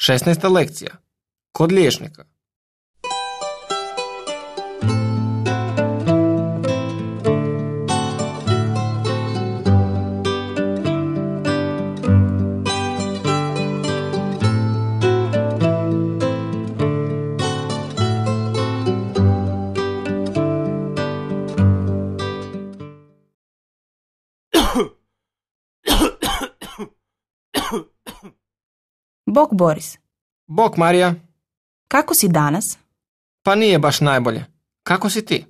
16. lekcija. Kod liječnika. Bok, Boris. Bok, Marija. Kako si danas? Pa nije baš najbolje. Kako si ti?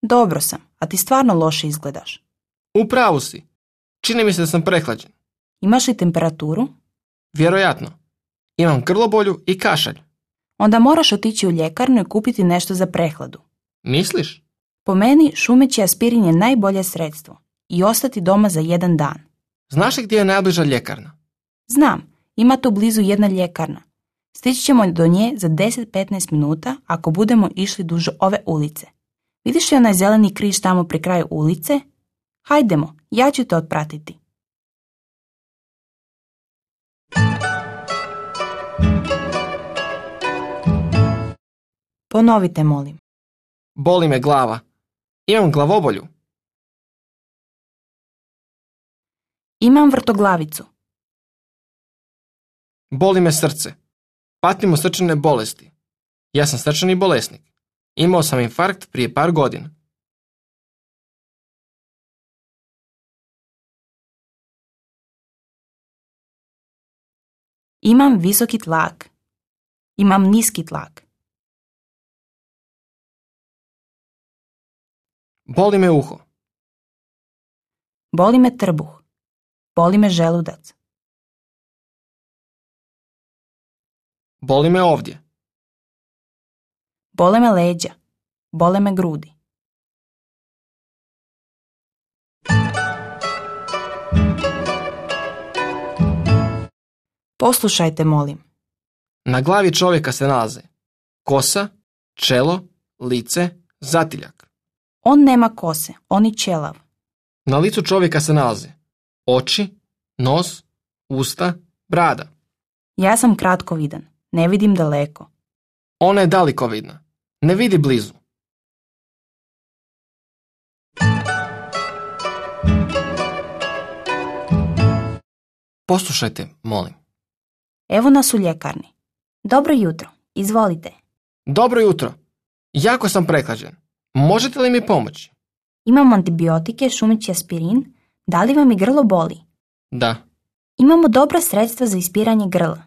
Dobro sam, a ti stvarno loše izgledaš. U pravu si. Čini mi se da sam prehlađen. Imaš li temperaturu? Vjerojatno. Imam grlobolju i kašalj. Onda moraš otići u ljekarnu i kupiti nešto za prehladu. Misliš? Po meni, šumeći aspirin je najbolje sredstvo i ostati doma za 1 dan. Znaš li gdje je najbliža ljekarna? Znam, ima tu blizu jedna ljekarna. Stići ćemo do nje za 10-15 minuta ako budemo išli duž ove ulice. Vidiš li onaj zeleni križ tamo pri kraju ulice? Hajdemo, ja ću te otpratiti. Ponovite, molim. Boli me glava. Imam glavobolju. Imam vrtoglavicu. Boli me srce. Patim od srčane bolesti. Ja sam srčani bolesnik. Imao sam infarkt prije par godina. Imam visoki tlak. Imam niski tlak. Boli me uho. Boli me trbuh. Boli me želudac. Boli me ovdje. Bole me leđa. Bole me grudi. Poslušajte, molim. Na glavi čovjeka se nalaze kosa, čelo, lice, zatiljak. On nema kose, on je ćelav. Na licu čovjeka se nalaze oči, nos, usta, brada. Ja sam kratkovidan, ne vidim daleko. Ona je dalekovidna, ne vidi blizu. Poslušajte, molim. Evo nas u ljekarni. Dobro jutro, izvolite. Dobro jutro. Jako sam prehlađen. Možete li mi pomoći? Imamo antibiotike, šumeći aspirin. Da li vam i grlo boli? Da. Imamo dobra sredstva za ispiranje grla.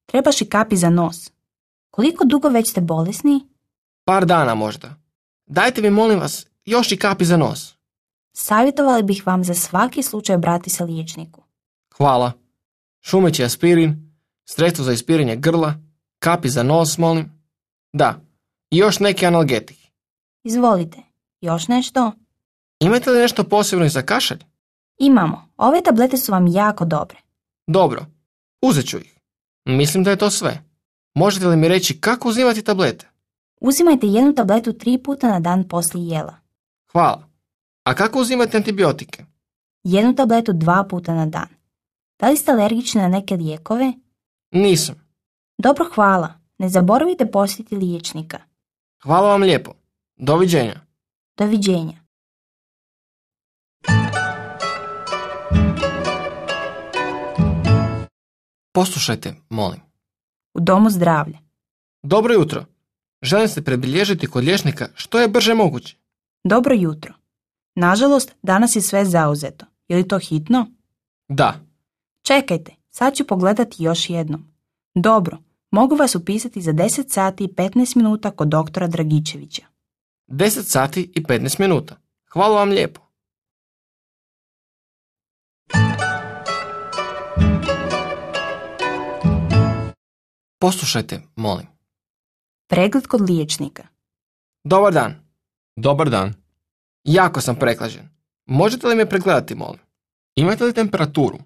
Trebaš i kapi za nos. Koliko dugo već ste bolesni? Par dana možda. Dajte mi, molim vas, još i kapi za nos. Savjetovali bih vam za svaki slučaj obrati se liječniku. Hvala. Šumeći aspirin, sredstvo za ispiranje grla, kapi za nos, molim. Da. I još neki analgetik. Izvolite. Još nešto? Imate li nešto posebno i za kašalj? Imamo. Ove tablete su vam jako dobre. Dobro. Uzet ću ih. Mislim da je to sve. Možete li mi reći kako uzimati tablete? Uzimajte 1 tabletu 3 puta na dan poslije jela. Hvala. A kako uzimate antibiotike? 1 tabletu 2 puta na dan. Da li ste alergični na neke lijekove? Nisam. Dobro, hvala. Ne zaboravite posjetiti liječnika. Hvala vam lijepo. Doviđenja. Doviđenja. Poslušajte, molim. U domu zdravlja. Dobro jutro. Želim se predbilježiti kod liječnika što je brže moguće. Dobro jutro. Nažalost, danas je sve zauzeto. Je li to hitno? Da. Čekajte, sad ću pogledati još jednom. Dobro, mogu vas upisati za 10 sati i 15 minuta kod doktora Dragičevića. 10 sati i 15 minuta. Hvala vam lijepo. Poslušajte, molim. Pregled kod liječnika. Dobar dan. Dobar dan. Jako sam prehlađen. Možete li me pregledati, molim? Imate li temperaturu?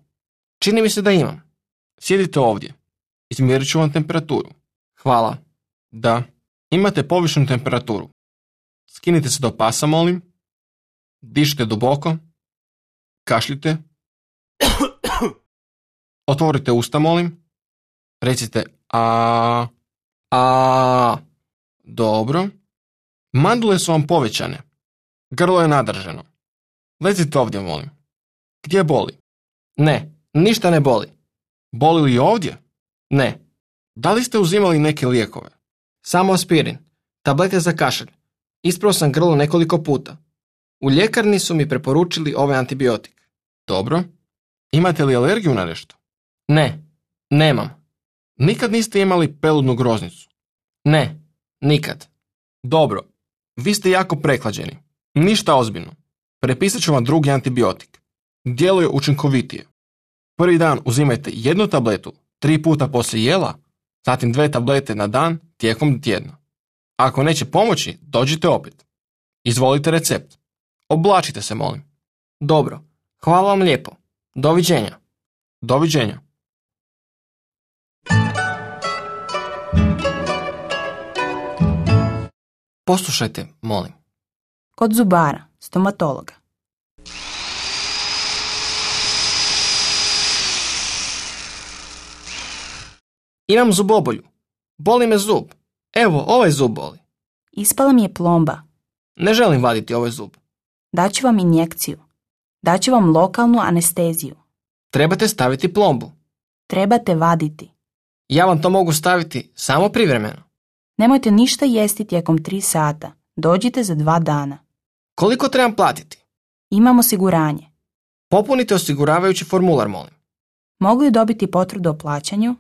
Čini mi se da imam. Sjedite ovdje. Izmjerit ću vam temperaturu. Hvala. Da. Imate povišenu temperaturu. Skinite se do pasa, molim. Dišite duboko. Kašljite. Otvorite usta, molim. Recite Dobro. Mandule su vam povećane. Grlo je nadržano. Lezite ovdje, molim. Gdje boli? Ne, ništa ne boli. Boli li ovdje? Ne, Da li ste uzimali neke lijekove? samo aspirin. Tablete za kašalj. Isprao sam grlo nekoliko puta. U ljekarni su mi preporučili ovaj antibiotik. Dobro. Imate li alergiju na nešto? Ne, nemam. Nikad niste imali peludnu groznicu? Ne, nikad. Dobro. Vi ste jako prehlađeni. Ništa ozbiljno. Prepisat ću vam drugi antibiotik. Djeluje učinkovitije. Prvi dan uzimajte 1 tabletu 3 puta poslije jela, zatim 2 tablete na dan tijekom tjedna. Ako neće pomoći, dođite opet. Izvolite recept. Oblačite se, molim. Dobro, hvala vam lijepo. Doviđenja. Doviđenja. Poslušajte, molim. Kod zubara, stomatologa. Imam zubobolju. Boli me zub. Evo, ovaj zub boli. Ispala mi je plomba. Ne želim vaditi ovaj zub. Daću vam injekciju. Daću vam lokalnu anesteziju. Trebate staviti plombu. Trebate vaditi. Ja vam to mogu staviti samo privremeno. Nemojte ništa jesti tijekom 3 sata. Dođite za 2 dana. Koliko trebam platiti? Imam osiguranje. Popunite osiguravajući formular, molim. Mogu li dobiti potvrdu o plaćanju?